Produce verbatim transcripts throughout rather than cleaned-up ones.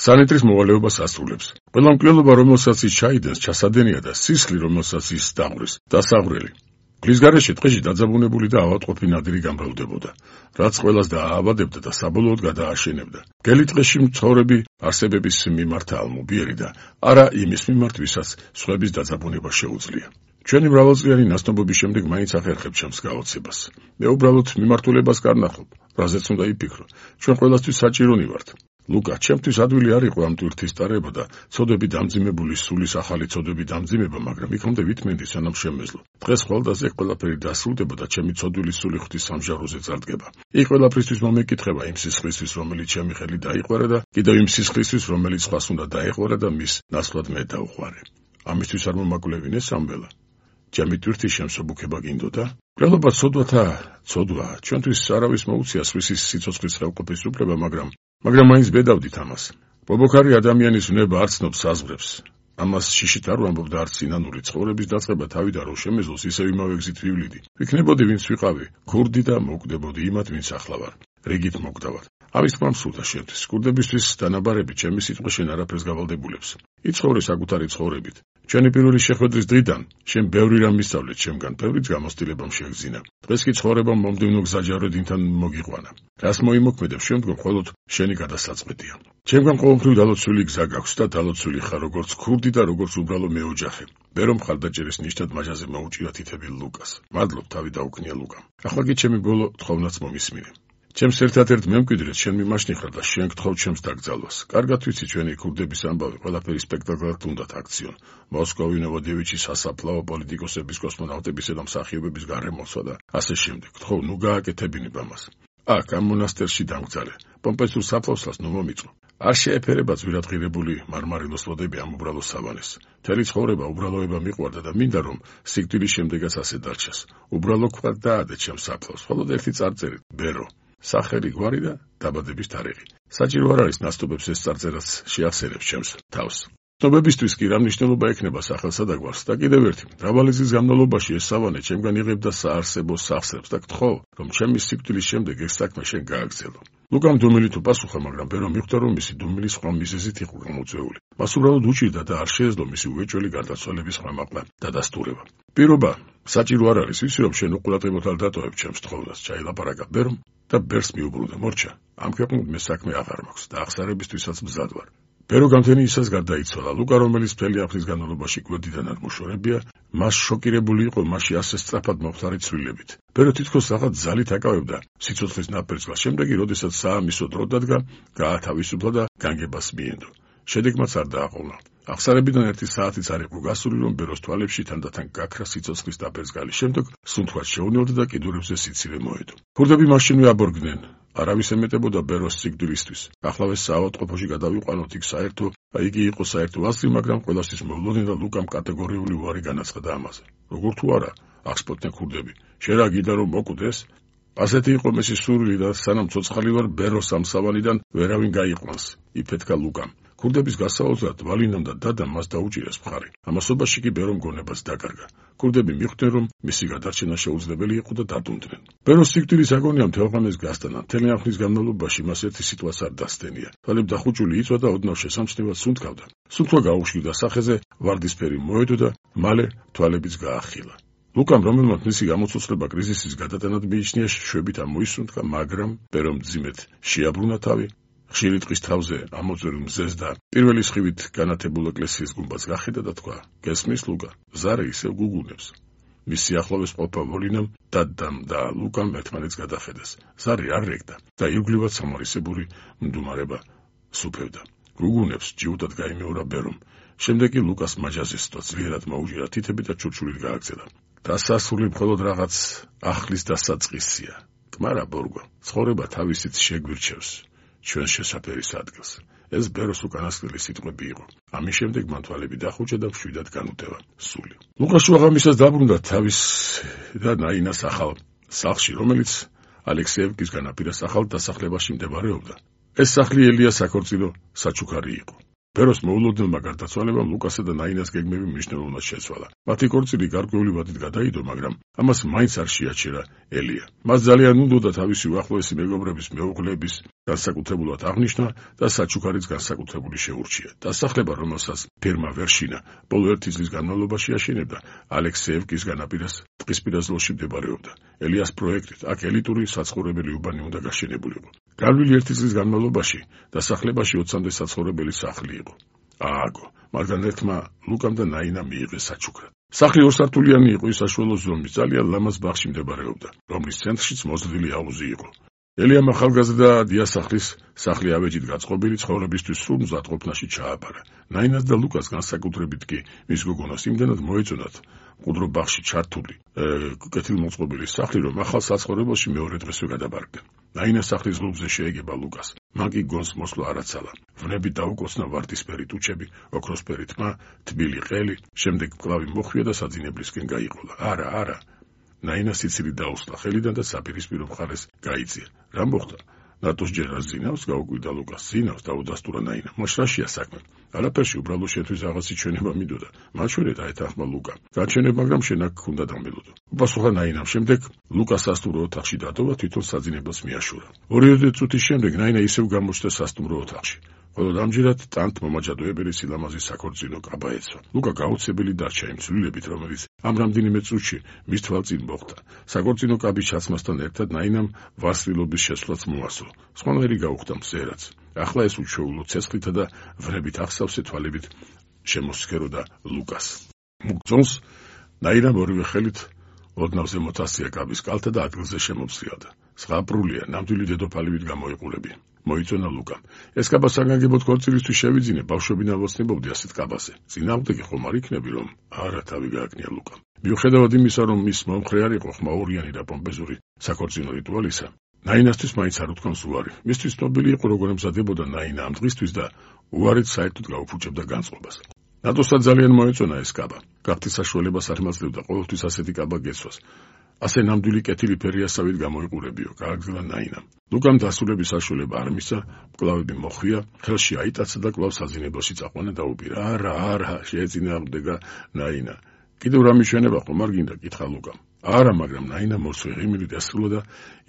სანიტრის მოვალეობას ასრულებს. ყველა მკვლელობა, რომელსაც ის ჩაიდენს, ჩასადენია და სისხლი, რომელსაც ის დაღვრეს, დასაღვრელი. გლის გარეშე ტყეში დაძაბუნებული და ავადმყოფი ნადირი გამრავლდებოდა, რაც ყველას დაააბადებდა და საბოლოოდ გადააშენებდა. გელი ტყეში მცხოვრები არსებების მიმართ ალმობიერი და არა იმის მიმართ, ვისაც სხვების დაძაბუნება შეუძლია. ჩვენი მრავალწლიანი ნაცნობობის შემდეგ მაინც ახერხებ ჩემს გაოცებას. მე უბრალოდ მიმართულებას კარნახობ, რაზეც უნდა იფიქრო. ჩვენ ყველასთვის საჭირონი ვართ. ლუკა, ჩემთვის ადვილი არ იყო ამ ტვირთის ტარება და ცოდები დამძიმებული სულის ახალი ცოდები დამძიმება, მაგრამ იქამდე ვითმენდი სანამ შემეძლო. დღეს ხვალდაზე ყველაფერი დასრულდება და ჩემი ცოდვილი სული ღვთის სამჟაროზე წარდგება. იქ ყველაფრისთვის მომეკითხება იმ სისხლისთვის, რომელიც ჩემი ხელი დაიყვარა და კიდევ იმ სისხლისთვის, რომელიც სხვას უნდა დაეყვარა და მის ნაცვლად მე დავუყვარე. ამისთვის არ მომაკვლევინე სამველა. ჩემი ტვირთის შემსუბუქება გინდოდა? მკვლელობა ცოდვათა ცოდვა, ჩვენთვის არავის მოუწია სხვისის სიცოცხლის ხელყოფის უფლება, მაგრამ მაგრამ მაინც ბედავდით ამას. ბობოქარი ადამიანის ვნება არ ცნობს საზღვრებს. ამას შიშით არ ვამბობ და არც სინანული ცხოვრების დაწყება თავიდან რომ შემეძლოს, ისევ იმავე გზით ვივლიდი. ვიქნებოდი ვინც ვიყავი, ქურდი და მოვკვდებოდი იმათ, ვინც ახლა ვარ. რიგით მოგდავარ. ამის თქმა მსურდა შევთვის. ქურდებისთვის დანაბარები ჩემი სიტყვა შენ არაფერს გავალდებულებს. იცხოვრე საკუთარი ცხოვრებით. ჩვენი პირველი შეხვედრის დღიდან შენ ბევრი რამ მისწავლე ჩემგან, ბევრიც გამოცდილებამ შეგძინა. დღეს კი ცხოვრებამ მომდევნო გზაჯაროდინთან მოგიყვანა. რას მოიმოქმედებ შემდგომ მხოლოდ შენი გადასაწყვეტია. ჩემგან ყოველთვის დალოცვილი გზა გაქვს და დალოცვილი ხარ როგორც ქურდი და როგორც უბრალო მეოჯახე. მე რომ მხარდაჭერის ნიშნად მაჟაზე მოუჭირა თითები ლუკას. მადლობ, თავი დაუქნია ლუკამ. ახლა კი ჩემი ბოლო თხოვნაც მომისმინე. ჩემს ერთადერთ მემკვიდრედ შენ მიმაშნიხარ და შენ გთხოვ ჩემს დაკრძალვას. კარგად ვიცი ჩვენი ქურდების ამბავი ყველაფერი სპექტაკლად უნდათ აქციონ. მოსკოვი ნოვოდევიჩის სასაფლაო პოლიტიკოსების, კოსმონავტებისა და მსახიობების გარემოსვა და ასე შემდეგ. გთხოვ, ნუ გააკეთებინებ ამას. აქ ამ მონასტერში დამგზარე. პომპეზურ საფლავსას ნუ მომიწო. არ შეეფერება ძვირადღირებული მარმარილოს ლოდები ამ უბრალო სავანეს. მთელი ცხოვრება უბრალოება მიყვარდა და მინდა რომ სიკვდილის შემდეგაც ასე დარჩეს. უბრალო ქვად დაადე ჩემს საფლავს. მხოლოდ ერთი წარწერით, ბერო. სახელი, გვარი და დაბადების თარიღი. საჭირო არ არის ნაცნობებს ეს წარწერაც შეახსენებს ჩემს თავს. ცნობებისთვის კი რა მნიშვნელობა ექნება სახელსა და გვარს და კიდევ ერთი, მრავალი წლის განმავლობაში ეს სავანე ჩემგან იღებდა საარსებო სახსრებს და გთხოვ, რომ ჩემი სიკვდილის შემდეგ ეს საქმე შენ გააგრძელო. ლუკამ დუმილით უპასუხა, მაგრამ ბერომ მიხვდა, რომ მისი დუმილი სხვა მიზეზით იყო გამოწვეული. მას უბრალოდ უჭირდა და არ შეეძლო მისი უეჭველი გარდაცვალების ხმამაღლა დადასტურება. პირობა, საჭირო არ არის, ვიცი რომ შენ უყურადღებოდ არ დატოვებ ჩემს თხოვნას, ჩაილაპარაკა ბერომ და ბერს მიუბრუნდა. მორჩა, ამ ქვეყნით მე საქმე აღარ მაქვს და აღსარებისთვისაც მზად ვარ. ბერო გამთენი ისას გარდაიცვალა. ლუკა, რომელიც მთელი აფრის განმავლობაში გვერდიდან არ მოშორებია, მას შოკირებული იყო მასში ასე სწრაფად მომხდარი ცვლილებით. ბერო თითქოს რაღაც ძალით აკავებდა სიცოცხლის ნაპერწკლას. შემდეგი, როდესაც საამისო დრო დადგა, გაათავისუფლა და განგებას მიენდო. შედეგმაც არ დააყოვნა. აღსარებიდან ერთი საათიც არ იყო გასული, რომ ბეროს თვალებში თანდათან გაქრა სიცოცხლის დაბერძგალი. შემდეგ სუნთქვაც შეუნელდა და კიდურებზე სიცივე მოედო. ქურდები მაშინვე აბორგდნენ. არავის ემეტებოდა ბეროს სიკვდილისთვის. ახლავე საავადმყოფოში გადავიყვანოთ, იქ საერთო იგი იყო საერთო ასლი, მაგრამ ყველასთვის მოვლოდნენ და ლუკამ კატეგორიული უარი განაცხადა ამაზე. როგორ თუ არა, აღსპოდნენ ქურდები. შენ რა გინდა რომ მოკვდეს? ასეთი იყო მისი სურვილი და სანამ ცოცხალი ვარ, ბეროს ამ სავანიდან ვერავინ გაიყვანს, იფეთქა ლუკამ. ქურდების გასაოცრად ვალინამ და დადამ მას დაუჭირეს მხარი. ამასობაში კი ბერომ გონებას დაკარგა. ქურდები მიხვდნენ, რომ მისი გადარჩენა შეუძლებელი იყო და დადუნდნენ. ბეროს სიკვდილის აგონია მთელღამეს გასტანა. მთელი ამ ხნის განმავლობაში მას ერთი სიტყვაც არ დასთენია. თვალები დახუჭული იწვა და ოდნავ შესამჩნევად სუნთქავდა. სუნთქვა გაუშვიდა სახეზე, ვარდისფერი მოედო და მალე თვალებიც გაახილა. ლუკამ, რომელმაც მისი გამოცოცხლება კრიზისის გადატანად მიიჩნია, შვებით ამოისუნთქა, მაგრამ ბერომ მძიმედ შეაბრუნა თავი. ხშირი ტყის თავზე ამოწვევი მზეს და პირველი სხივით განათებულ ეკლესიის გუმბათს გახედა და თქვა: გესმის ლუკა, ზარე ისევ გუგუნებს. მის სიახლოვეს ყოფა ვოლინამ დადამ და ლუკამ ერთმანეთს გადახედეს. ზარი არ რეკდა და ირგვლივად სამარისებური მდუმარება სუფევდა. გუგუნებს ჯიუტად გაიმეორა ბერომ. შემდეგ კი ლუკას მაჯაზე სიტყვა ძლიერად მოუჭირა თითები და ჩურჩულით გააგზავნა. დასასრული მხოლოდ რაღაც ახლის დასაწყისია. კმარა ბორგო, ცხოვრება თავისით შეგვირჩევს ჩვენს შესაფერის ადგილს. ეს ბეროს უკანასკნელი სიტყვები იყო. ამის შემდეგ მან თვალები დახუჭა და მშვიდად განუტევა სული. ლუკა შუაღამისას დაბრუნდა თავის და ნაინას ახალ სახლში, რომელიც ალექსეევკის განაპირას ახალ დასახლებაში მდებარეობდა. ეს სახლი ელიას საქორწილო საჩუქარი იყო. ბეროს მოულოდნელმა გარდაცვალებამ ლუკასა და ნაინას გეგმები მნიშვნელოვნად შეცვალა. მათი ქორწილი გარკვეული ვადით გადაიდო, მაგრამ ამას მაინც არ შეაჩერა ელია. მას ძალიან უნდოდა თავისი უახლოესი მეგობრების მეუღლეების განსაკუთრებულად აღნიშნა და საჩუქარიც განსაკუთრებული შეურჩია. დასახლება, რომელსაც ფერმა ვერშინა ბოლო ერთი წლის განმავლობაში აშენებდა, ალექსეევკის განაპირას ტყის პირას მდებარეობდა. ელიას პროექტით აქ ელიტური საცხოვრებელი უბანი უნდა გაშენებულიყო. გავლილი ერთი წლის განმავლობაში დასახლებაში ოცამდე საცხოვრებელი სახლი იყო. ააგო, მაგრამ ერთმა ლუკამ და ნაინამ მიიღეს საჩუქრად. სახლი ორსართულიანი იყო, საშუალო ზომის, ძალიან ლამაზ ბაღში მდებარეობდა, რომლის ცენტრშიც მოზრდილი აუზი იყო. ელიამ ახალგაზრდა დიასახლის სახლი ავეჯით გაწყობილი ცხოვრებისთვის სრულ მზადყოფნაში ჩააბარა. ნაინას და ლუკას განსაკუთრებით კი მის გოგონას იმდენად მოეწონათ მყუდრო ბაღში ჩართული კეთილმოწყობილი სახლი, რომ ახალ საცხოვრებელში მეორე დღესვე გადაბარგდნენ. ნაინას სახლის ღრუბლზე შეეგება ლუკას. მან კი გონს მოსვლა არაცალა. ვნები დაუკოცნა ვარდისფერი ტუჩები, ოქროსფერი თმა, თბილი ყელი, შემდეგ მკლავი მოხვია და საძინებლისკენ გაიყოლა. არა, არა. ნაინა სიცილი დაუსლა ხელიდან და საპირისპირო მხარეს გაიწია. რა მოხდა? ნატოს ჯერ ზინავს, გაუკვირდა ლუკას. ზინავს, დაუდასტურა ნაინა. მოშ რაშია საქმე? არაფერში, უბრალო შეთვის რაღაცი ჩვენება მიდოდა. მაჩვენე დაეთანხმა ლუკა. გაჩვენებ, მაგრამ შენ აქ უნდა დამბელოდო. უპასუხა ნაინამ. შემდეგ ლუკა სასტუმრო ოთახში დატოვა, თვითონ საძინებელს მიაშურა. ორი წუთის შემდეგ ნაინა ისევ გამოჩნდა სასტუმრო ოთახში. ხოლო ამჯერად ტანთ მომაჯადოებელი სილამაზის საქორწინო კაბა ეცვა. ლუკა გაუცებელი დარჩა იმ ცვლილებით, რომელიც ამ რამდენიმე წუთში მის თვალწინ მოხდა. საქორწინო კაბის ჩაცმასთან ერთად ნაინამ ვასრილობის შესვლაც მოასწრო. სხვანაირი გაუხდა მზერაც. ახლა ეს უჩვეულო ცეცხლითა და ვრებით ახსავსე თვალებით შემოსქეროდა ლუკას. მუგძონს ნაინამ ორივე ხელით ოდნავზე მოთასწია კაბის კალთა და ადგილზე შემომსრიალდა. ზღაპრულია, ნამდვილი დედოფალივით გამოიყურებია. მოიწონა ლუკამ. ეს კაბა საგანგებოდ ქორწილისთვის შევიძინე, ბავშვები ნავოცნებობდი ასეთ კაბაზე. წინააღმდეგი ხომ არ იქნები, რომ არა თავი გააკნია ლუკამ. მიუხედავად იმისა, რომ მის მომხრე არ იყო ხმაურიანი და პომპეზური საქორწინო რიტუალისა, ნაინასთვის მაინც არ უთქვამს უარი. მისთვის ცნობილი იყო, როგორ ემზადებოდა ნაინა ამ დღისთვის და უარით საერთოდ გაუფუჭებდა განწყობას. ნატოსთან ძალიან მოეწონა ეს კაბა. გახდის საშუალებას არ მაძლევდა ყოველთვის ასეთი კაბა გეცვას. ასე ნამდვილი კეთილი ფერიასავით გამოიყურებიო, გააგრძელა ნაინამ. ლუკამ დასრულების საშუალება არ მისცა, მკლავები მოხვია, ხელში აიტაცა და კვლავ საძინებელში წაყვანა დაუპირა. არა, არა, შეეწინააღმდეგა ნაინა. კიდევ რა მიშვენება ხომ არ გინდა? კითხა ლუკამ. არა, მაგრამ ნაინა მოსვე ღიმილი დასრულა და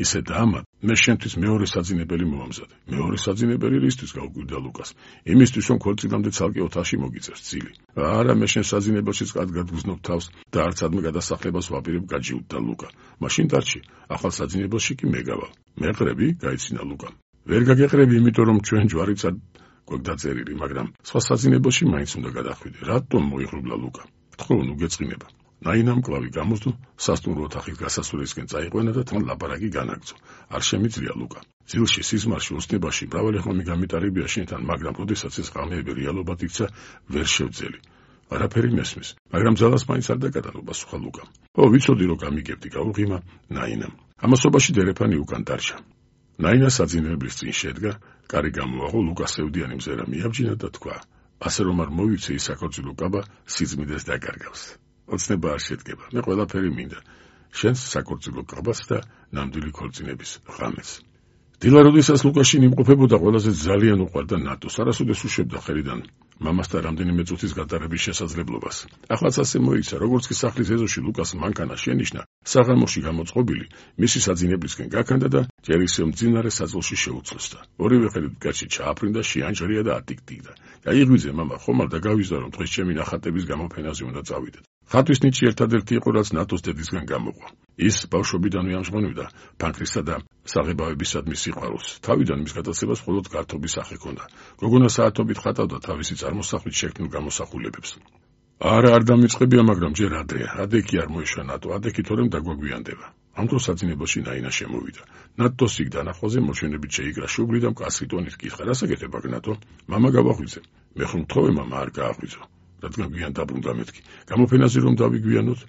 ისე დაამა, მე შენთვის მეორე საძინებელი მომამზადე. მეორე საძინებელი რისთვის? გაუკვირდა ლუკას. იმისთვის, რომ ქორწილამდე ცალკე ოთახში მოგიწევს ძილი. არა, მე შენ საძინებელში კარგად გგზნობ თავს და არც ადმე გადასახლებას ვაპირებ, გაჯიუტდა ლუკა. მაშინ დარჩი, ახალ საძინებელში კი მე გავალ. მეყრები? გაიცინა ლუკამ. ვერ გაგეყრები, იმიტომ რომ ჩვენ ჯვარიცად გვაქვს დაწერილი, მაგრამ სხვა საძინებელში მაინც უნდა გადახვიდე. რატომ? მოიღრუბლა ლუკა. თქო, ნუ გეწყინება. ნაინამ კლავი გამოსდო, სასტუმრო ოთახის გასასვლელისკენ წაიყვანა და თან ლაპარაკი განაგრძო. არ შემიძლია ლუკა. ძილში, სიზმარში, ოცნებაში მრავალი ხომი გამიტარებია შენთან, მაგრამ როდესაც ეს ღამეები რეალობად იქცა, ვერ შევძელი. არაფერი მესმის, მაგრამ ძალას მაინც არ დაკატანო, პასუხა ლუკამ. ო, ვიცოდი რომ გამიგებდი, გაუღიმა ნაინამ. ამასობაში დერეფანი უკან დარჩა. ნაინა საძინებლის წინ შედგა, კარი გამოაღო, ლუკას სევდიანი მზერა მიაბჯინა და თქვა: ასე რომ არ მოვიცე ის საქორწილო კაბა სიწმიდეს დაკარგავს. ოცნება არ შედგება, მე ყველაფერი მინდა. შენს საქორწილო კაბას და ნამდვილი ქორწინების ღამეს. დილა როდესაც ლუკაშინ იმყოფებოდა, ყველაზე ძალიან უყვარდა ნატოს. არასოდეს უშვებდა ხელიდან მამასთან რამდენიმე წუთის გატარების შესაძლებლობას. ახლაც ასე მოიქცა, როგორც კი სახლის ეზოში ლუკას მანქანა შენიშნა, საღამოში გამოწყობილი, მისი საძინებლისკენ გაქანდა და ჯერ ისევ მძინარე საძილში შეუცლოსდა. ორივე ხელით მკერდში ჩააფრინდა, შეანჯრია და ატიკტიკდა. გაიღვიძე მამა, ხომ არ დაგავიზდა, რომ დღეს ჩემი ნახატების გამოფენაზე უნდა წავიდეთ. ხატვის ნიჭი ერთადერთი იყო, რაც ნატოს დედისგან გამოყვა. ის ბავშვობიდანვე ამჟღავნებდა ფანქრისა და საღებავებისადმი სიყვარულს. თავიდან მის გადაცემას მხოლოდ გართობის სახე ჰქონდა. გოგონა საათობით ხატავდა თავისი წარმოსახვით შექმნილ გამოსახულებებს. არა, არ დამიწყებია, მაგრამ ჯერ ადრეა. ადექი არ მოიშვა ნატო, ადექი თორემ დაგვაგვიანდება. ამ დროს საძინებელში ნაინა შემოვიდა. ნატოს იქ დანახვაზე მოჩვენებით შეიგრა შუბლი და მკაცრი ტონით კითხა: რასაკეთებ აქ ნატო? მამა გავაღვიძე. მე ხომ მთხოვე მამა არ გააღვიძო. რადგან გვიან დაბრუნდა მეთქი. გამოფენაზე რომ დავიგვიანოთ?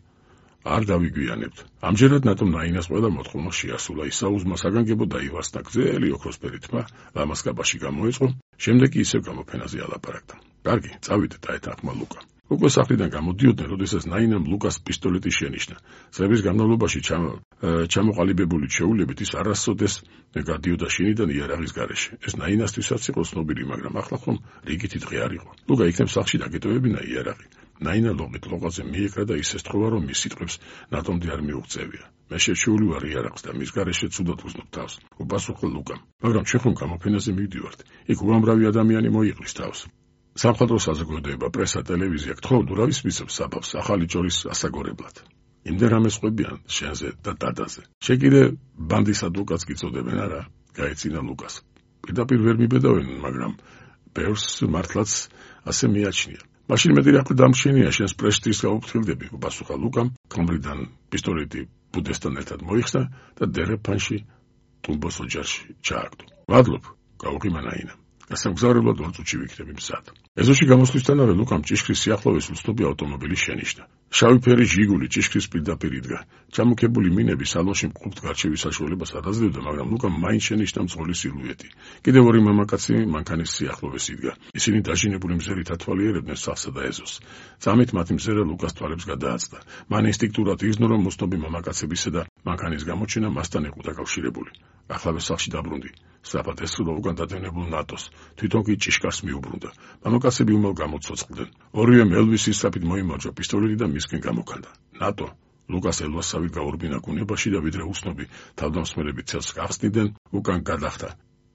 არ დავიგვიანებთ. ამჯერად ნატომ ნაინას ყველა მოთხოვნა შეასრულა. ისაუზმა საგანგებო დაივასნა, გზელი ოქროსფერი თმა ლამაზ კაბაში გამოეწყო, შემდეგ კი ისევ გამოფენაზე ალაპარაკდა. კარგი, წავიდეთ, დაეთანხმა ლუკა. უკვე სახლიდან გამოდიოდნენ, როდესაც ნაინამ ლუკას პისტოლეტი შენიშნა. წლების განმავლობაში ჩამოყალიბებული ჩვეულებით ის არასოდეს გადიოდა შინიდან იარაღის გარეშე. ეს ნაინასთვისაც იყო ცნობილი, მაგრამ ახლა ხომ რიგითი დღე არ იყო. ლუკა იქნებ სახლში დაგეტოვებინა იარაღი. ნაინა ლოყით ლოყაზე მიეკრა და ის ესთხოვა, რომ მის სიტყვებს ნატომდე არ მიუღწევია. მე შეჩეული ვარ იარაღს და მის გარეშე ცუდად ვუზნობ თავს. უპასუხა ლუკამ. მაგრამ ჩვენ ხომ გამოფენაზე მივდივართ. იქ უამრავი ადამიანი მოიყრის თავს. სამხატვრო საზოგადოება, პრესა, ტელევიზია გთხოვთ ურავის მისებს საბავს ახალი ჯორის ასაგორებლად. იმდენ რამეს ყვებიან შენზე და დადაზე. შეკიდე ბანდის ადვოკატს გიწოდებენ არა? გაეცინა ლუკას. პირდაპირ ვერ მიბედავენ, მაგრამ ბევრს მართლაც ასე მიაჩნია. მაშინ მეტი რა დამშენია შენს პრესტიჟს გაუფრთხილდები, უპასუხა ლუკამ, ქმრიდან პისტოლეტი ბუდესთან ერთად მოიხსნა და დერეფანში ტუმბოს ოჯახში ჩააგდო. ვადლობ, გაუღიმა ნაინა. გასაგზავნებლად ორ წუთში ვიქნები მზად. ეზოში გამოსვლისთანავე ლუკამ ჭიშკრის სიახლოვეს უცნობი ავტომობილი შენიშნა. შავი ფერი ჟიგული ჭიშკრის პირდაპირ იდგა. ჩამოქებული მინები სალონში მკურთ გარჩევის საშუალებას არ აძლევდა, მაგრამ ლუკამ მაინც შენიშნა მძღოლი სილუეტი. კიდევ ორი მამაკაცი მანქანის სიახლოვეს იდგა. ისინი დაჟინებული მზერით ათვალიერებდნენ სახლსა და ეზოს. წამით მათი მზერა ლუკას თვალებს გადააცდა. მან ინსტინქტურად იზნო, რომ მოცნობი მამაკაცებისა და მანქანის გამოჩენა მასთან იყო დაკავშირებული. ახლავე სახლში დაბრუნდი. სწრაფად ესრულა უკან დადევნებულ ნატოს. თვითონ კი ჭიშკარს მიუბრუნდა. მამაკაცები უმალ გამოცოცხლდნენ. ორივე მელვის ისწრაფით მოიმარჯვა პისტოლეტი და მისკენ გამოკანდა. ნატო ლუკას ელვასავით გაურბინა კუნებაში და ვიდრე უცნობი თავდამსხმელები ცელს გახსნიდნენ, უკან გადახტა.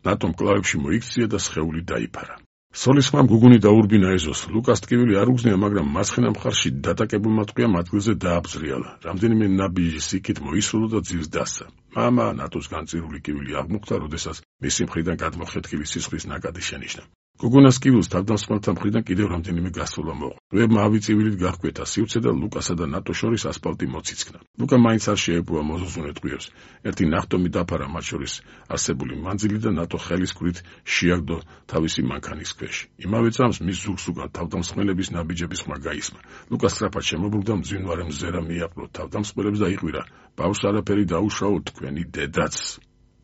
ნატომ კლავებში მოიქცია და სხეული დაიფარა. სოლის ხმამ გუგუნი დაურბინა ეზოს. ლუკას ტკივილი არ უგზნია, მაგრამ მარცხენა მხარში დატაკებულმა ტყვიამ ადგილზე დააბზრიალა. რამდენიმე ნაბიჯი სიკით მოისრულა და ძირს დასცა. მამა ნატოს განწირული კივილი აღმოხდა, როდესაც მისი მხრიდან გადმოხეთქილი სისხლის ნაკადი შენიშნა. გუგუნას კივილს თავდამსხმელთა მხრიდან კიდევ რამდენიმე გასვლა მოყვა. ვებმა ავი წივილით გაჰკვეთა სივრცე და ლუკასა და ნატო შორის ასფალტი მოციცქნა. ლუკა მაინც არ შეებუა მოზუსუნე ტყვიებს. ერთი ნახტომი დაფარა მათ შორის არსებული მანძილი და ნატო ხელის ქვით შეაგდო თავისი მანქანის ქვეშ. იმავე წამს მის ზურგს უკან თავდამსხმელების ნაბიჯების ხმა გაისმა. ლუკა სწრაფად შემობრუნდა, მძვინვარე მზერა მიაყრო თავდამსხმელებს და იყვირა: ბავშვს არაფერი დაუშაო, თქვენი დედაც.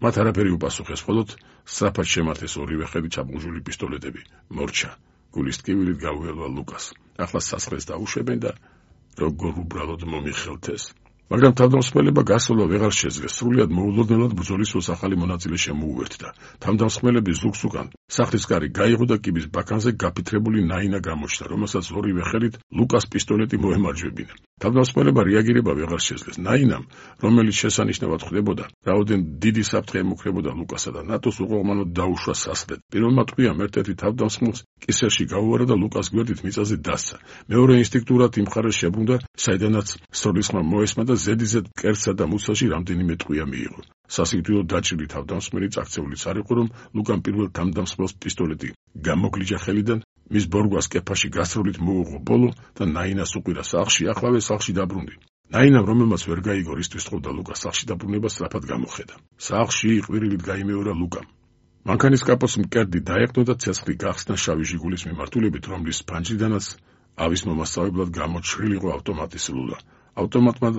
მათ არაფერი უპასუხეს, მხოლოდ სწრაფად შემართეს ორივე ხელი ჩაბმული პისტოლეტები. მორჩა. გულის ტკივილით გაუელვა ლუკას. ახლა სასხლეს დაუშვებენ და როგორ უბრალოდ მომიხელთეს. მაგრამ თავდამსხმელება გასვლა ვეღარ შეძლეს. სრულიად მოულოდნელად ბრძოლის ახალი მონაწილე შემოუერთდა. თავდამსხმელების ზურგს უკან სახლის კარი გაიღო და კიბის ბაქანზე გაფითრებული ნაინა გამოჩნდა, რომელსაც ორივე ხელით ლუკას პისტოლეტი მოემარჯვებინა. თავდამსხმელება რეაგირება ვეღარ შეძლეს. ნაინამ, რომელიც შესანიშნავად ხვდებოდა, რაოდენ დიდი საფრთხე ემუქრებოდა ლუკასა და ნატოს უყოღმანოდ დაუშვა სასხლეთ. პირველმა ტყვიამ ერთ-ერთი თავდამსხმელს კისერში გაუვარა და ლუკას გვერდით მიწაზე დასცა. მეორე ინსტინქტურად იმ მხარეს შებრუნდა, საიდანაც სროლის ხმა მოესმა და ზედიზედ კერძსა და მუცელში რამდენიმე ტყვია მიიღო. სასიკვდილო დაჭრილი თავდამსხმელი წაქცეულიც არ იყო, რომ ლუკამ პირველ თავდამსხმელს პისტოლეტი გამოგლიჯა ხელიდან, მის ბორგვას კეფაში გასროლით მოუღო ბოლო და ნაინას უყირა სახლში, ახლავე სახლში დაბრუნდი. ნაინამ, რომელმაც ვერ გაიგო რისთვის თხოვდა ლუკას სახლში დაბრუნება, სწრაფად გამოხედა. სახლში ყვირილით გაიმეორა ლუკამ. მანქანის კაპოტს მკერდი დაეყნო და ცეცხლი გახსნა შავი ჟიგულის მიმართულებით, რომლის ფანჯრიდანაც ავის მომასწავებლად გამოჩრილიყო ავტომატის სულა. ავტომატმა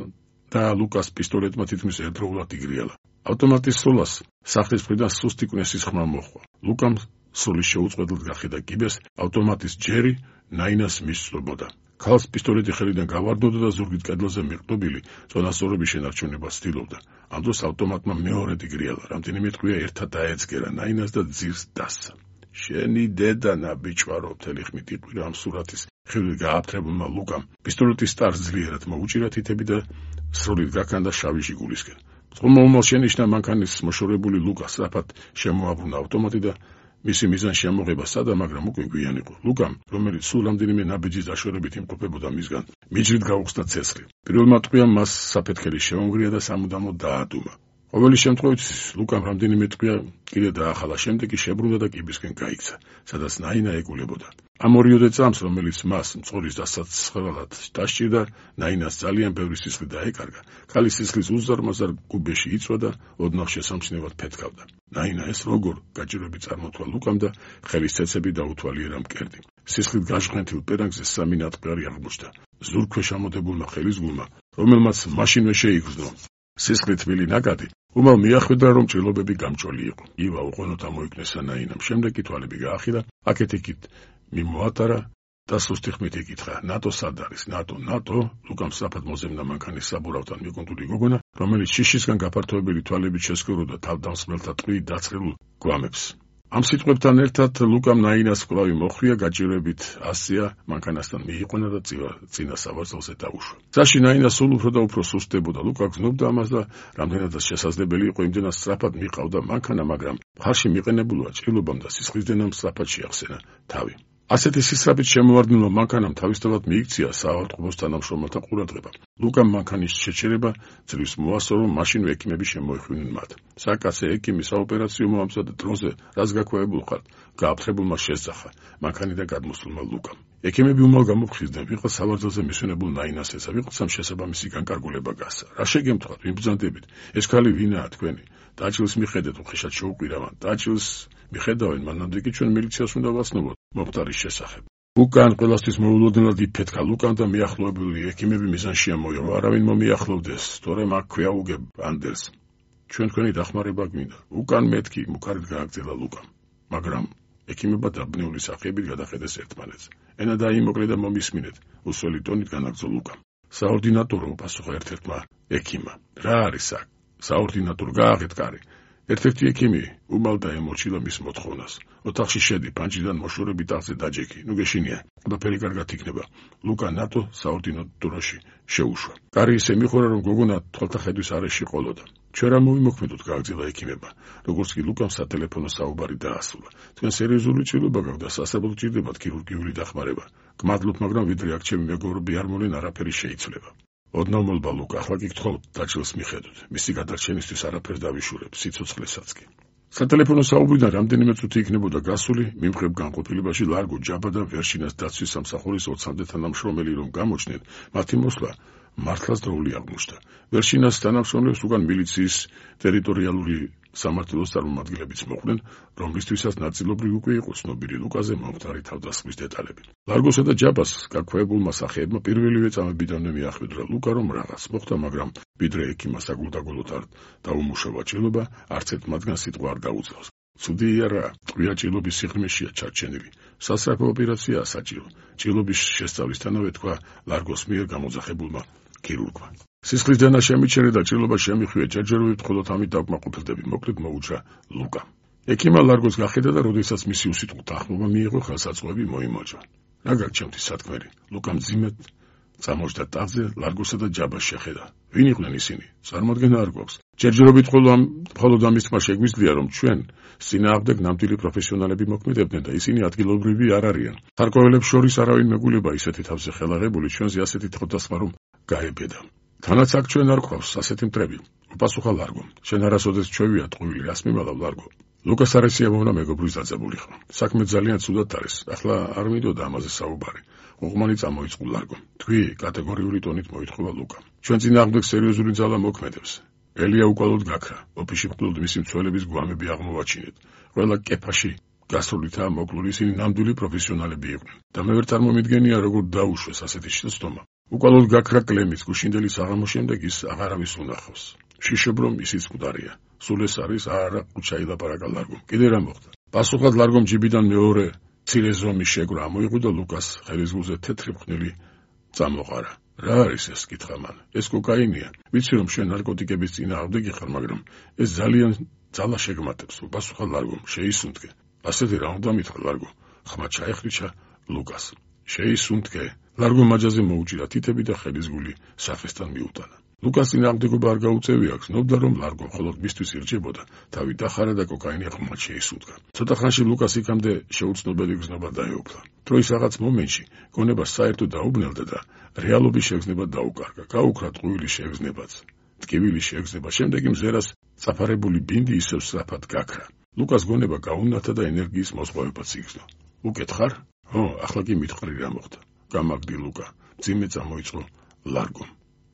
და ლუკას პისტოლეტმა თითქმის ერთდროულად იგრიალა. ავტომატის სულას სახლის მხრიდან სუსტი კვნესის ხმა მოჰყვა. ლუკამ სრული შეუწყვეტლად გახედა კიბეს, ავტომატის ჯერი ნაინას მისწვებოდა. ქალს პისტოლეტი ხელიდან გავარდნოდა და ზურგით კედლაზე მიყრდობილი წონასწორობის შენარჩუნებას ცდილობდა. ამ დროს ავტომატმა მეორედ იგრიალა. რამდენიმე ტყვია ერთად დაეცგერა ნაინას და ძირს დასცა. შენი დედა ნაბიჯვარო, მთელი ხმით იყვირა ამ სურათის ხილით გააფთრებულმა ლუკამ. პისტოლეტის სტარს ძლიერად მოუჭირა თითები და სრულად გაქანდა შავი ჟიგულისკენ. წყალმომალ შენიშნა მანქანის მოშორებული ლუკა სწრაფად შემოაბრუნა ავტომატი და მისი მიზანში ამოღება სადა, მაგრამ უკვე გვიან იყო. ლუკამ, რომელიც სულ რამდენიმე ნაბიჯის დაშორებით იმყოფებოდა მისგან, მიჯრით გაუხსნა ცეცხლი. პირველმა ტყვიამ მას საფეთქელი შემომგრია და სამუდამოდ დაადუმა. ყოველი შემთხვევით ლუკამ რამდენიმე ტყვია კიდე დაახალა, შემდეგ კი შებრუნდა და კიბისკენ გაიქცა, სადაც ნაინა ეკულებოდა. ამ ორიოდე წამს, რომელიც მას მწყურის დასაცხებლად დასჭირდა, ნაინას ძალიან ბევრი სისხლი დაეკარგა. ქალის სისხლის უზარმაზარ გუბეში იწვა და ოდნავ შესამჩნევად ფეთქავდა. ნაინა ეს როგორ გაჭირვები წარმოთვალა ლუკამ და ხელის ცეცები დაუთვალიერა მკერდი. სისხლით გაჟღენთილ პერანგზე სამი ნატყარი აღმოჩნდა. ზურგქვეშ ამოდებულმა ხელის გულმა, რომელმაც მაშინვე შეიგრძნო სისხლით თბილი ნაკადი, უმალ მიახვედრა, რომ ჭრილობები გამჭოლი იყო. ივა უყონოდ ამოიკნესა ნაინამ. შემდეგ კი თვალები გაახიდა, აქეთ-იქით მიმოატარა და სუსტი ხმით იკითხა, ნატო სად არის? ნატო, ნატო, ლუკამ სწრაფად მოზემნა მანქანის საბურავთან მიკუნთული გოგონა, რომელიც შიშისგან გაფართოებული თვალებით შესკვიროდა თავდამსხმელთა ტყვიით დაწყებულ გვამებს. ამ სიტყვებთან ერთად ლუკამ ნაინას კვლავი მოხვია, გაჭირვებით ასწია, მანქანასთან მიიყვანა და წინა სავარძელზე დაუშვა. გზაში ნაინა სულ უფრო და უფრო სუსტდებოდა. ლუკა გრძნობდა ამას და რამდენადაც შესაძლებელი იყო, იმდენად სწრაფად მიყავდა მანქანა, მაგრამ მხარში მიყენებულმა ჭრილობამ და სისხლისდენამ სწრაფად შეახსენა თავი. ასეთი სისწრაფით შემოვარდნილმა მანქანამ თავისთავად მიიქცია საავადმყოფოს თანამშრომელთა ყურადღება. ლუკამ მანქანის შეჩერება ძლივს მოასწრო, რომ მაშინ ექიმები შემოიხვინენ მათ. საკაცე ექიმი საოპერაციო მომამზად დროზე, რაც გაქვეებულ ხართ, გააფრთხებულმა შესძახა მანქანიდან გადმოსულმა ლუკამ. ექიმები უმალ გამოფხიზდნენ, ვიღაც სავარძელზე მისვენებულ ნაინას ეცა, ვიღაცამ შესაბამისი განკარგულება გასცა. რა შეგემთხვათ, ვიბრძანდებით? ეს ქალი ვინაა თქვენი? დაჭილს მიხედეთ, უხეშად შეუყვირავან. დაჭილს მიხედავენ, მანამდე კი ჩვენ მილიციას უნდა ვაცნობოთ მომხდარის შესახებ. უკან ყველასთვის მოულოდნელად იფეთქა ლუკამ და მიახლოებული ექიმები მიზანში ამოიღო. არავინ მომიახლოვდეს, თორემ აქ ქვეაუგებ ანდელს. ჩვენ თქვენი დახმარება გვინდა. უკან მეთქი, მუქარით გააგრძელა ლუკამ. მაგრამ ექიმებმა დაბნეული სახეებით გადახედეს ერთმანეთს. ენა დაიმოკლე და მომისმინეთ, უსველი ტონით განაგრძო ლუკამ. საორდინატორო, პასუხა ერთ-ერთმა ექიმმა. რა არის აქ? საორდინატორო, გააღეთ კარი. ერთ-ერთი ექიმი უმალ დაემორჩილა მის მოთხოვნას. ოთახში შედი, პანჭიდან მოშორები ტახტზე დაჯექი. ნუ გეშინია, ყველაფერი კარგად იქნება. ლუკა ნატო საორდინატოროში შეუშვა. კარი ისე მიხურა, რომ გოგონა თვალთახედვის არეში ყოლოდა. ჩვენ რა მოვიმოქმედოთ, გააგრძელა ექიმებმა. როგორც კი ლუკამ სატელეფონო საუბარი დაასრულა. თქვენ სერიოზული ჭრილობა გაქვთ და სასწრაფოდ ჭირდებათ ქირურგიული დახმარება. გმადლობ, მაგრამ ვიდრე აქ ჩემი მეგობრები არ მოლენ, არაფერი შეიცვლება. ოდნავ მოლბა ლუკა, ახლა კი გთხოვთ, დაჭილს მიხედოთ. მისი გადარჩენისთვის არაფერს დავიშურებ, სიცოცხლესაც კი. სატელეფონო საუბრიდან რამდენიმე წუთი იქნებოდა გასული, მიმღებ განყოფილებაში ლარგო ჯაბა და ვერშინას დაცვის სამსახურის ოცამდე თანამშრომელი რომ გამოჩნდნენ, მათი მოსვლა მართლაც დროული აღმოჩნდა. ვერშინას თანამშრომლებს უკან მილიციის ტერიტორიალური სამართლოს წარმომადგენლებიც მოხვდნენ, რომლისთვისაც ნაწილობრივ უკვე იყო ცნობილი ლუკაზე მომხდარი თავდასხმის დეტალები. ლარგოსა და ჯაბას გაქვეებულმა სახეებმა პირველივე წამებიდანვე მიახვედრა ლუკა, რომ რაღაც მოხდა, მაგრამ ვიდრე ექიმმა საგულდაგულოდ არ დაუმუშავა ჭრილობა, არც ერთ მათგან სიტყვა არ დაუძლავს. ცუდია რა, ტყვია ჭრილობის სიღრმეშია ჩარჩენილი. სასწრაფო ოპერაციაა საჭირო. ჭრილობის შესწავლისთანავე თქვა ლარგოს მიერ გამოძახებულმა ქირურგმა. სისხლის დენა შემიჩერე და ჭრილობა შემიხვია, ჯერჯერობით მხოლოდ ამით დავკმაყოფილდები, მოკლედ მოუჭრა ლუკა. ექიმმა ლარგოს გახედა და როდესაც მისი უსიტყვო თანხმობა მიიღო, ხელსაწყოები მოიმოჯვა. რა გაჩემთი სათქმელი? ლუკამ ძიმედ წამოჯდა ტახტზე, ლარგოსა და ჯაბას შეხედა. ვინ იყვნენ ისინი? წარმოადგენა არ გვაქვს. ჯერჯერობით მხოლოდ ამის თქმა შეგვიძლია, რომ ჩვენ წინააღმდეგ ნამდვილი პროფესიონალები მოქმედებდნენ და ისინი ადგილობრივი არ არიან. ხარკოველებს შორის არავინ მეგულება ისეთი თავზე ხელაღებული, ჩვენზე ასეთი თხოდასხმა რომ გაებედა. თანაც აქ ჩვენ არ გვყავს ასეთი მტრები. უპასუხა ლარგომ. შენ არასოდეს ჩვევია ტყუილი, რას მიმალავ ლარგო? ლუკას არ ეციებონა მეგობრის დაძაბულიყო. საქმე ძალიან ცუდად არის. ახლა არ მინდოდა ამაზე საუბარი. უღმანი წამოიწყო ლარგომ. თქვი, კატეგორიული ტონით მოითხოვა ლუკა. ჩვენ წინააღმდეგ სერიოზული ძალა მოქმედებს. ელია უკვალოდ გაქრა. ოფისში მხოლოდ მისი მცველების გვამები აღმოვაჩინეთ. ყველა კეფაში გასრულითაა მოკლული, ისინი ნამდვილი პროფესიონალები იყვნენ. და მე ვერ წარმომიდგენია, როგორ დაუშვეს ასეთი შეცდომა. უკვალოდ გაქრა კლემის, გუშინდელი საღამოს შემდეგ ის აღარავის უნახავს. შიშობ რომ ისიც მკვდარია. სულ ეს არის არა ყუჩა ილაპარაკა ლარგომ. კიდე რა მოხდა? პასუხად ლარგომ ჯიბიდან მეორე მცირე ზომის შეგრა ამოიღო და ლუკას ხელის გულზე თეთრი ფხნილი წამოყარა. რა არის ეს? კითხა მან. ეს კოკაინია. ვიცი რომ შენ ნარკოტიკების წინააღმდეგი ხარ, მაგრამ ეს ძალიან ძალა შეგმატებს. პასუხა ლარგომ. შეისუნთქე. ასეთი რა უნდა მითხრა ლარგო? ხმა ჩაეხრიჩა ლუკას. შეისუნთქე. ლარგო მაჯაზე მოუჭირა თითები და ხელის გული საფესთან მიუტანა. ლუკას წინააღმდეგობა არ გაუწევი აქვს, ნობდა რომ ლარგო მხოლოდ მისთვის ირჩებოდა, თავი დახარა და კოკაინი ხმად შეისუნთქა. ცოტა ხანში ლუკას იქამდე შეუცნობელი გზნობა დაეუფლა. დროის რაღაც მომენტში გონებას საერთოდ დაუბნელდა და რეალობის შეგრძნება დაუკარგა. გაუქრა ტყუილი შეგრძნებაც, ტკივილი შეგრძნება, შემდეგ მზერას წაფარებული ბინდი ისევ სწრაფად გაქრა. ლუკას გონება გაუნათა და ენერგიის მოსყოვებაც იგრძნო. უკეთ ხარ? ო, ახლა კი მითხრი რა მოხდა. გამაგდი ლუკა, ძიმე წამოიწყო ლარგომ.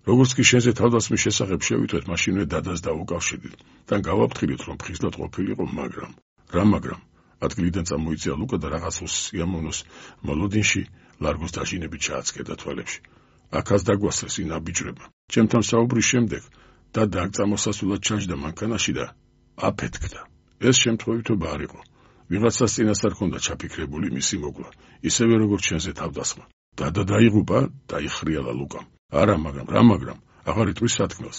როგორც კი შენზე თავდასხმის შესახებ შევიტყვეთ, მაშინვე დადას დაუკავშირდით. თან გავაფრთხილეთ, რომ ფხიზლად ყოფილიყო, მაგრამ რა მაგრამ ადგილიდან წამოიწია ლუკა და რაღაც სიამოვნოს მოლოდინში ლარგოს დაჟინებით ჩააცკერდა თვალებში. აქაც დაგვასწრეს ინაბიჯრება. ჩემთან საუბრის შემდეგ და დაგწამოსასულად ჩაჯდა მანქანაში და აფეთქდა. ეს შემთხვევითობა არ იყო. ვიღაცას წინასწარ ჰქონდა ჩაფიქრებული მისი მოკლა, ისევე როგორც ჩვენზე თავდასხმა. დადა დაიღუპა, დაიხრიალა ლუკამ. არა, მაგრამ რა მაგრამ, აღარ იტყვის სათქმელს.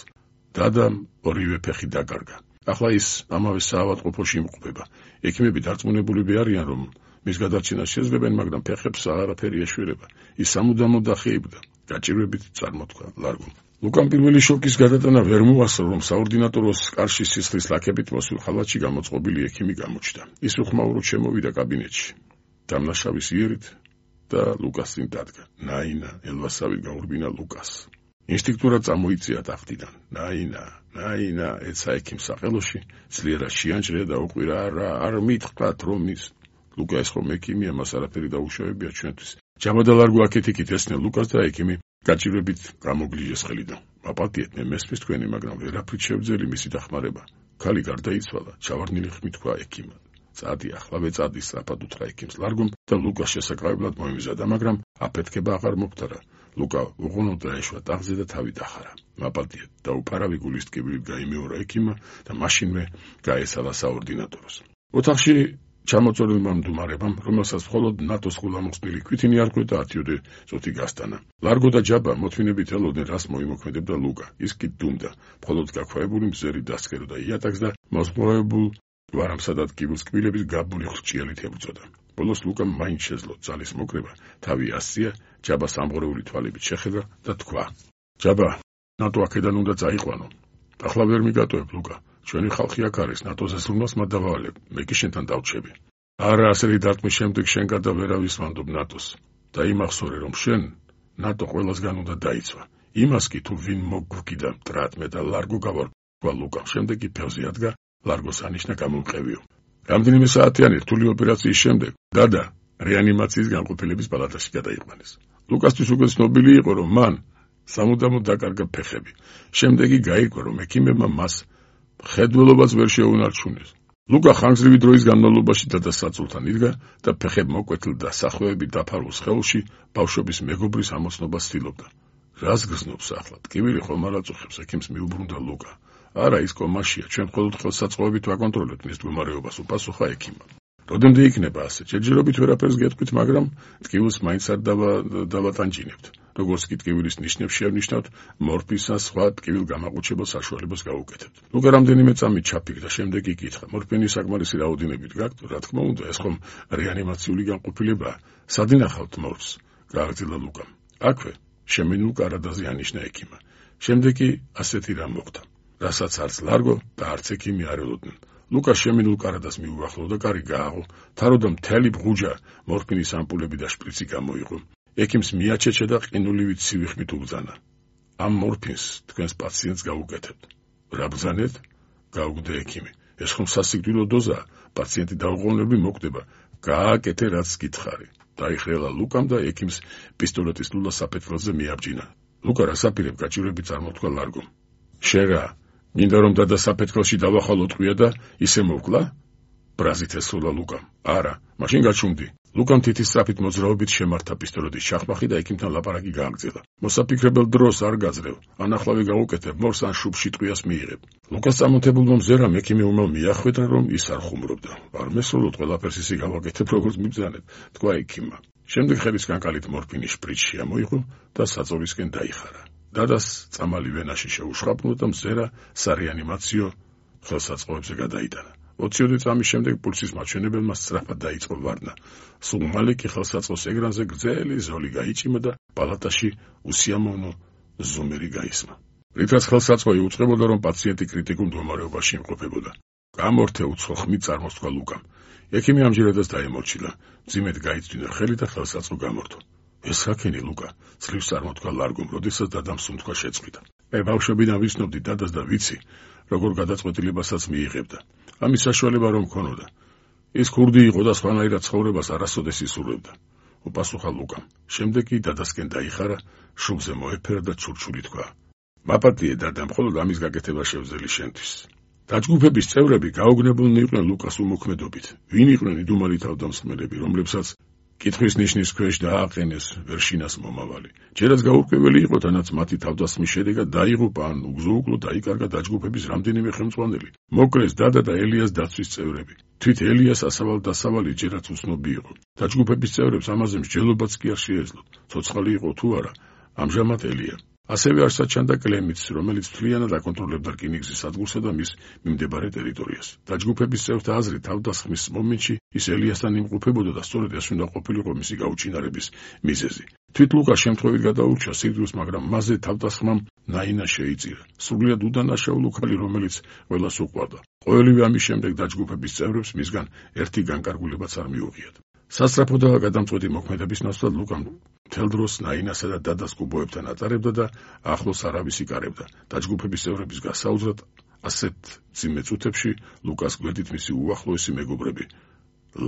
დადამ ორივე ფეხი დაკარგა. ახლა ის ამავე საავადმყოფოში იმყოფება. ექიმები დარწმუნებულები არიან, რომ მის გადარჩენას შეძლებენ, მაგრამ ფეხებს აღარაფერი ეშველება. ის სამუდამოდ დახეიბდა. გაჭირვებით წარმოთქვა ლარგომ. ლუკამ პირველი შოკის გადატანა ვერ მოასწრო, რომ საორდინატოროს კარში სისხლის ლაქებით მოსულ ხალათში გამოწყობილი ექიმი გამოჩნდა. ის უხმაუროდ შემოვიდა კაბინეტში. დამნაშავის იერით და ლუკას წინ დადგა. ნაინა, ელვასავით გაურბინა ლუკას. ინსტინქტურად წამოიწია ტახტიდან. ნაინა, ნაინა, ეცა ექიმს საყელოში, ძლიერად შეანჭრია და უყვირა, არა, არ მითხრათ, რომ ის ლუკა ეს ხომ ექიმია, მას არაფერი დაუშავებია ჩვენთვის. ჯაბა და ლარგო აქეთ-იქით ესწნენ ლუკას და ექიმი გაჭირვებით გამოგლიჟეს ხელიდან. მაპატიეთ, მე მესმის თქვენი, მაგრამ ვერაფრით შევძელი მისი დახმარება. ქალი გარდაიცვალა, ჩავარდნილი ხმით თქვა ექიმმა. წადი, ახლა წადი, სწრაფად უთხრა ექიმს ლარგომ და ლუკას შესაკავებლად მოემზადა, მაგრამ აფეთქება აღარ მოხდარა. ლუკა უღუნოდ დაეშვა ტახტზე და თავი დახარა. მაპატიეთ, დაუფარავი გულის ტკივილით გაიმეორა ექიმმა და მაშინვე გაესალა საორდინატოროს. ოთახში ჩამოწოლებულმა მდუმარებამ, რომელსაც მხოლოდ ნატოს გულამოხსნილი ქვითინი არ ხვდა, ათიოდე წუთი გასტანა. ლარგო და ჯაბა მოთმინებით ელოდნენ, რას მოიმოქმედებდა ლუკა. ის კი დუმდა, მხოლოდ გაქვავებული მზერი დასკეროდა იატაკს და მოსპორებულ ვარამსა და ტკივილს კბილების გაბული ხრჭიალით ებრძოდა. ბოლოს ლუკამ მაინც შეძლო ძალის მოკრება, თავი ასწია, ჯაბას ამღრეული თვალებით შეხედა და თქვა: ჯაბა, ნატო აქედან უნდა წაიყვანო. ახლა ვერ მიგატოვებ ლუკა. ჩვენი ხალხი აქ არის, ნატოზე ზრუნვას მათ დავავალებ, მე კი შენთან დავჩები. არა, ასეთი დარტყმის შემდეგ შენ გადა ვერავის ვანდობ ნატოს. და იმახსოვრე, რომ შენ ნატო ყველასგან უნდა დაიცვა. იმას კი თუ ვინ მოგგვკიდა მტრად მე და ლარგო გავარქვა ლუკამ. შემდეგ კი ფევზე ადგა, ლარგოს ანიშნა გამომყევიო. რამდენიმე საათიანი რთული ოპერაციის შემდეგ დადა რეანიმაციის განყოფილების პალატაში გადაიყვანეს. ლუკასთვის უკვე ცნობილი იყო, რომ მან სამუდამოდ დაკარგა ფეხები. შემდეგი გაირკვა, რომ ექიმებმა მას ხედველობაც ვერ შეუნარჩუნეს. ლუკა ხანგრძლივი დროის განმავლობაში დადასაწულთან იდგა და ფეხებმოკვეთილ და სახვევები დაფარულ სხეულში ბავშვობის მეგობრის ამოცნობას ცდილობდა. რას გრძნობს ახლა? ტკივილი ხომ არ აწუხებს, ექიმს მიუბრუნდა ლუკა. არა, ის კომაშია, ჩვენ მხოლოდ ხელსაწყოებით ვაკონტროლებთ მის მდგომარეობას, უპასუხა ექიმმა. როდემდე იქნება ასე? ჯერჯერობით ვერაფერს გეტყვით, მაგრამ ტკივილს მაინც არ დავატანჯინებთ. როგორც კი ტკივილის ნიშნებს შევნიშნავთ, მორფინს ან სხვა ტკივილ გამაყუჩებელ საშუალებას გავუკეთებთ. ლუკა რამდენიმე წამით ჩაფიქრდა, შემდეგ კი კითხა: მორფინის საკმარისი რაოდენობით გაქვთ? რა თქმა უნდა, ეს ხომ რეანიმაციული განყოფილებაა. სად ინახავთ მორფს? გააგრძელა ლუკამ. აქვე, შემინულ კარადაზე ანიშნა ექიმმა. შემდეგ კი ასეთი რამ მოხდა, რასაც არც ლარგო და არც ექიმი არ ელოდნენ. ლუკა შემინულ კარადას მიუახლოვ და კარი გააღო, თაროდა მთელი ბღუჯა მორფინის ამპულები და შპრიცი გამოიღო. ექიმს მიაჩეჩა და ყინულივით ცივი ხმით უბრძანა: ამ მორფინს თქვენს პაციენტს გავუკეთებთ. რა ბრძანეთ? გაუგდა ექიმი. ეს ხომ სასიკვდილო დოზაა, პაციენტი დაუყოვნებლივ მოკვდება. გააკეთე რაც გითხარი. დაიხრელა ლუკამ და ექიმს პისტოლეტის ლულა საფეთქელზე მიაბჯინა. ლუკა რასაპირებ გაჭირვებით წარმოთქვა ლარგომ. შენ რა, მინდა რომ დადა საფეთქელში დავახალო ტყვია და ისე მოვკლა? ბრაზით ესროლა ლუკამ. არა, მაშინ გაჩუმდი. ლუკამ თითის სწრაფით მოძრაობით შემართა პისტოლეტის ჩახმახი და ექიმთან ლაპარაკი გააგრძელა. მოსაფიქრებელ დროს არ გაძლევ, ანახლავი გავუკეთებ, მორს ან შუბში ტყვიას მიიღებ. ლუკას წამოთებულმა მზერამ ექიმი უმალ მიახვედრა, რომ ის არ ხუმრობდა. არ მესროლოთ, ყველაფერს ისე გავაკეთებ, როგორც მიბრძანებ, თქვა ექიმმა. შემდეგ ხელის კანკალით მორფინის შპრიცი შემოიღო და საწოლისკენ დაიხარა. დადას წამალი ვენაში შეუშხაპნო და მზერა სარეანიმაციო ხელსაწყოებზე გადაიტანა. ოციოდე წამის შემდეგ პულსის მაჩვენებელმა სწრაფად დაიწყო ვარდნა. სულ მალე კი ხელსაწყოს ეკრანზე გრძელი ზოლი გაიჭიმა და პალატაში უსიამოვნო ზომერი გაისმა. რითაც ხელსაწყო იუწყებოდა, რომ პაციენტი კრიტიკულ მდგომარეობაში იმყოფებოდა. გამორთე უცხო ხმით წარმოსთქვა ლუკამ. ექიმი ამჯერადაც დაემორჩილა. მძიმედ გაიწვინა ხელი და ხელსაწყო გამორთო. ეს რაკენი ლუკა? ძლივს წარმოთქვა ლარგომ, როდესაც დადამ სუნთქვა შეწყვიტა. მე ბავშვობიდან ვიცნობდი დადას და ვიცი, როგორ გადაწყვეტილებასაც მიიღებდა. ამის საშუალება რომ მქონოდა. ის ქურდი იყო და სხვანაირად ცხოვრებას არასოდეს ისურვებდა. უპასუხა ლუკამ. შემდეგ კი დადასკენ დაიხარა, შუბზე მოეფერა და ჩურჩული თქვა: მაპატიე დადა, მხოლოდ ამის გაკეთება შევძელი შენთვის. დაჯგუფების წევრები გაოგნებულნი იყვნენ ლუკას უმოქმედობით. ვინ იყვნენ იდუმალი თავდამსხმელები, რომლებსაც კითხვის ნიშნის ქვეშ დააყენეს ვერშინას მომავალი. ჯერაც გაურკვეველი იყო, თანაც მათი თავდასხმის შედეგად დაიღუპა ან უგზო-უკლო დაიკარგა დაჯგუფების რამდენიმე ხელმძღვანელი. მოკრეს დადა და ელიას დაცვის წევრები. თვით ელიას ასავალ-დასავალი ჯერაც უცნობი იყო. დაჯგუფების წევრებს ამაზე მსჯელობაც კი არ შეეძლოთ. ცოცხალი იყო თუ არა, ამჟამად ელია. ასევე არ საჩანდა კლემიც, რომელიც მთლიანად აკონტროლებდა რკინიგზის სადგურსა და მის მიმდებარე ტერიტორიას. დაჯგუფების წევრთა აზრით, თავდასხმის მომენტში ის ელიასთან იმყოფებოდა და სწორედ ეს უნდა ყოფილიყო მისი გაუჩინარების მიზეზი. თვით ლუკა შემთხვევით გადაურჩა სიკვდილს, მაგრამ მასზე თავდასხმამ ნაინა შეიწირა. სრულიად უდანაშაულო ქალი, რომელიც ყველას უყვარდა. ყოველივე ამის შემდეგ დაჯგუფების წევრებს მისგან ერთი განკარგულებაც არ მიუღიათ. სასწრაფოდაა გადამწყვეტი მოქმედების ნაცვლად ლუკამ მთელ დროს ნაინასა და დადას კუბოებთან ატარებდა და ახლოს არავის იკარებდა. დაჯგუფების წევრების გასაუზრად ასეთ მძიმე წუთებში ლუკას გვერდით მისი უახლოესი მეგობრები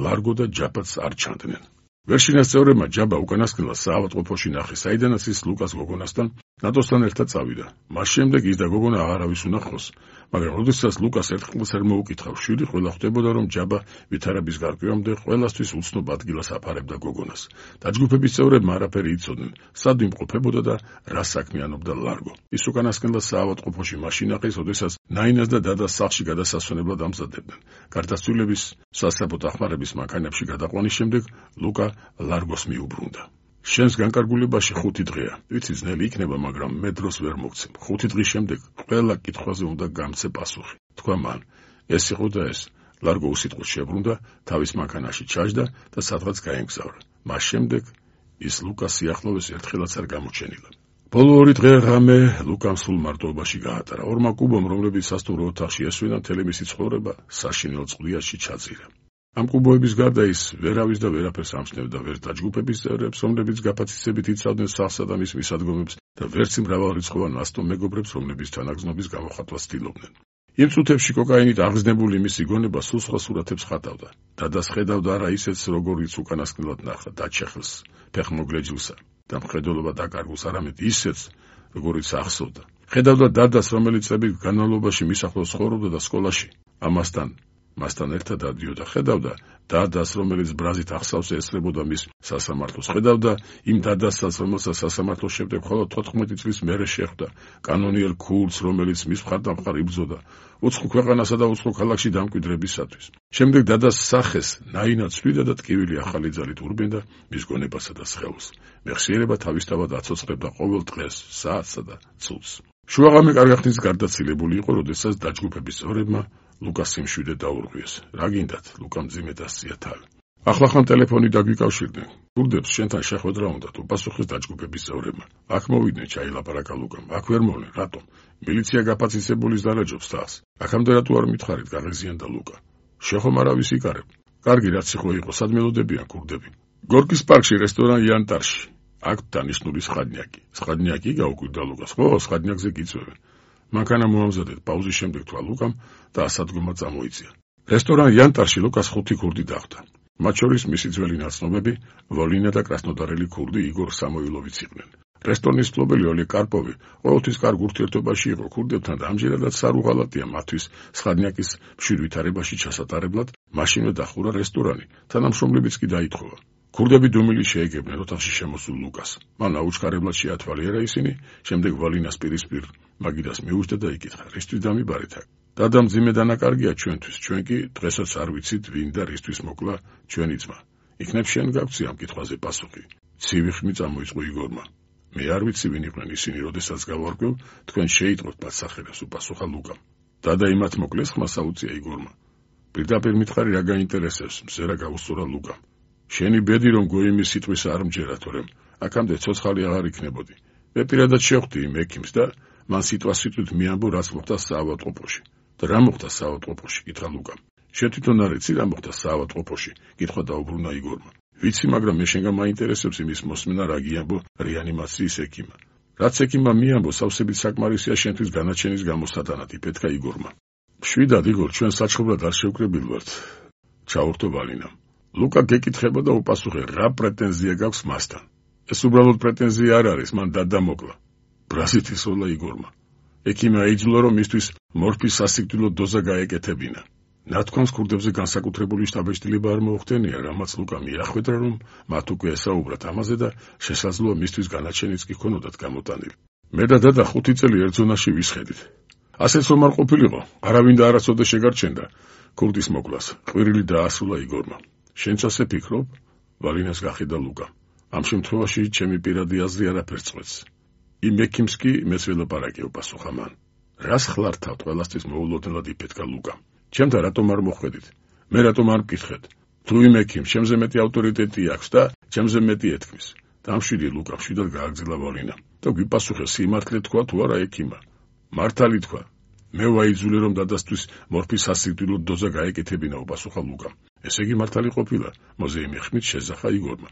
ლარგო და ჯაბაც არ ჩანდნენ. ვერშინას წევრებმა ჯაბა უკანასკნელად საავადმყოფოში ნახეს, საიდანაც ის ლუკას გოგონასთან ნატოსთან ერთად წავიდა. მას შემდეგ ის და გოგონა აღარავის უნახავს, მაგრამ როდესაც ლუკას ერთხელს არ მოუკითხავს შვილი, ყველა ხვდებოდა, რომ ჯაბა ვითარების გარკვევამდე ყველასთვის უცნობ ადგილას აფარებდა გოგონას. დაჯგუფების წევრებმა არაფერი იცოდნენ, სად იმყოფებოდა და რა საქმიანობდა ლარგო. ის უკანასკნელად საავადმყოფოში მაშინ ნახეს, როდესაც ნაინას და დადას სახლში გადასასვენებლად ამზადებდნენ. გარდაცვლილების სასწრაფო დახმარების მანქანებში გადაყვანის შემდეგ ლუკა ლარგოს მიუბრუნდა. შენს განკარგულებაში ხუთი დღეა. ვიცი, ძნელი იქნება, მაგრამ მე დროს ვერ მოგცემ. ხუთი დღის შემდეგ ყველა კითხვაზე უნდა გამცე პასუხი. თქვა მან. ეს იყო და ეს. ლარგო უსიტყვოდ შებრუნდა, თავის მანქანაში ჩაჯდა და სადღაც გაემგზავრა. მას შემდეგ ის ლუკას სიახლოვეს ერთხელაც არ გამოჩენილა. ბოლო ორი დღე ღამე ლუკამ სულ მარტოობაში გაატარა. ორმა კუბომ, რომლებიც სასტუმრო ოთახში ესვენა, მთელი მისი ცხოვრება საშინელ წყვლიაში ჩაძირა. ამ კუბოების გარდა ის ვერავის და ვერაფერს ამჩნევდა, ვერ დაჯგუფების წევრებს, რომლებიც გაფაციცებით იცავდნენ სახლსა და მის მისადგომებს და ვერც მრავალრიცხოვან ასტო მეგობრებს, რომლებიც თანაგზნობის გამოხატვას ცდილობდნენ. იმ წუთებში კოკაინით აღგზნებული მისი გონება სულ სხვა სურათებს ხატავდა. დადას ხედავდა არა ისეთს, როგორიც უკანასკნელად ნახა, დაჩეხილს, ფეხმოგლეჯილსა და მხედველობა დაკარგულს, არამედ ისეთს, როგორიც ახსოვდა. ხედავდა დადას, რომელიც წლების განმავლობაში მის ახლოს ცხოვრობდა და სკოლაში ამასთან მასთან ერთად დადიოდა. ხედავდა დადას, რომელიც ბრაზით ახსავს ესწრებოდა მის სასამართლოს. ხედავდა იმ დადასაც, რომელსაც სასამართლოს შემდეგ მხოლოდ თოთხმეტი წლის მერე შეხვდა, კანონიერ ქულს, რომელიც მის მხარდამხარ იბრძოდა უცხო ქვეყანასა და უცხო ქალაქში დამკვიდრებისათვის. შემდეგ დადას სახეს ნაინა ცვლიდა და ტკივილი ახალი ძალით ურბენდა მის გონებასა და სხეულს. მეხსიერება თავისთავად აცოცხლებდა ყოველ დღეს, საათსა და წუთს. შუაღამე კარგი ხნის გარდაცილებული იყო, როდესაც დაჯგუფების წევრებმა ლუკას სიმშვიდე დაურღვიეს. რა გინდათ? ლუკამ მძიმედ ასწია თავი. ახლახან ტელეფონი დაგვიკავშირდნენ. გურდებს შენთან შეხვედრა უნდათ, უპასუხეს დაჯგუფების წევრებმა. აქ მოვიდნენ, ჩაილაპარაკა ლუკამ. აქ ვერ მოვლენ, რატომ? მილიცია გაფაციცებულის დალაჯობს თავს. აქამდე რატო არ მითხარით? გაღიზიანდა ლუკა. შეხომ არავის იკარებ. კარგი, რაც იყო იყო, სად მელოდებიან ქურდები? გორკის პარკში, რესტორან იანტარში. აქ დანიშნული სხადნიაკი. სხადნიაკი გაუკვირდა ლუკას. ხო, სხადნიაკზე გიწვევენ. მანქანა მოამზადეთ, პაუზის შემდეგ თქვა ლუკამ და ასადგომად წამოიწია. რესტორან იანტარში ლუკას ხუთი ქურდი დახვდა. მათ შორის მისი ძველი ნაცნობები, ვოლინა და კრასნოდარელი ქურდი იგორ სამოილოვიც იყვნენ. რესტორნის მფლობელი ოლე კარპოვი ყოველთვის კარგ ურთიერთობაში იყო ქურდებთან და ამჯერადაც სარუღალატია მათთვის სხადნიაკის მშვიდ ვითარებაში ჩასატარებლად მაშინვე დახურა რესტორანი, თანამშრომლებიც კი დაითხოვა. ქურდები დუმილი შეეგებნენ ოთახში შემოსულ ლუკას. მან აუჩქარებლად შეათვალიერა ისინი, შემდეგ ვალინას პირისპირ მაგიდას მიუჯდა და იკითხა, რისთვის დამიბარეთ აქ? დადა მძიმე დანაკარგია ჩვენთვის, ჩვენ კი დღესაც არ ვიცით ვინ და რისთვის მოკლა ჩვენი ძმა. იქნებ შენ გაგვცი ამ კითხვაზე პასუხი. ცივი ხმი წამოიწყო იგორმა. მე არ ვიცი ვინ იყვნენ ისინი, როდესაც გავარკვევ, თქვენ შეიტყვეთ მათ სახელებს, უპასუხა ლუკამ. დადა იმათ მოკლეს ხმას აუწია იგორმა. პირდაპირ მითხარი რა გაინტერესებს, მზერა გაუსწორა ლუკამ. შენი ბედი რომ გოიმის სიტყვის არ მჯერა, თორემ აქამდე ცოცხალი აღარ იქნებოდი. მე პირადად შევხვდი იმ ექიმს და მან სიტყვა-სიტყვით მიამბო, რაც მოხდა საავადმყოფოში. და რა მოხდა საავადმყოფოში? კითხა ლუკამ. შენ თვითონ არ იცი რა მოხდა საავადმყოფოში? კითხვა დაუბრუნა იგორმა. ვიცი, მაგრამ მე შენგან მაინტერესებს იმის მოსმენა, რა გიამბო რეანიმაციის ექიმმა. რაც ექიმმა მიამბო, სავსებით საკმარისია შენთვის განაჩენის გამოსატანად, იფეთქა იგორმა. მშვიდად იგორ, ჩვენ საჩხობრად არ შევკრებილ ვართ. ჩაურთო ვალინამ. ლუკა გეკითხება და უპასუხე, რა პრეტენზია გაქვს მასთან? ეს უბრალოდ პრეტენზია არ არის, მან დადამოკლა. ბრაზით ისოლა იგორმა. ექიმი აიძულა, რომ მისთვის მორფის სასიკვდილო დოზა გაეკეთებინა. ნათქვამს ქურდებზე განსაკუთრებული შტაბ-ეჭდილება არ მოუხდენია, რამაც ლუკა მიახვედრა, რომ მათ უკვე ესაუბრათ ამაზე და შესაძლოა მისთვის განაჩენიც კი ქონოდათ გამოტანილი. მე და დედა ხუთი წელი ერთ ზონაში ვისხედით. ასეც რომ არ ყოფილიყო, არავინ და არასოდეს შეგარჩენდა ქურდის მოკლას. ყვირილი დაასრულა იგორმა. შენც ასე ფიქრობ? ვალინას გახედა ლუკა. ამ შემთხვევაში ჩემი პირადი აზრი არაფერს წყვეტს. იმ ექიმს კი მეც ველაპარაკეო, პასუხა მან. რას ხლართავთ ყველასთვის მოულოდნელად იფეთქა ლუკა. ჩემთან რატომ არ მოხვედით? მე რატომ არ მკითხეთ? თუ იმ ექიმს ჩემზე მეტი ავტორიტეტი აქვს და ჩემზე მეტი ეთქმის. დამშვიდი ლუკა მშვიდად გააგრძელა ვალინა და გვიპასუხე სიმართლე თქვა თუ არა ექიმა. მართალი თქვა. მე ვაიძულე რომ დადასთვის მორფის სასიკვდილო დოზა გაეკეთებინა, უპასუხა ლუკამ. ესე იგი მართალი ყოფილა, მოზეიმი ხმით შეზახა იგორმა.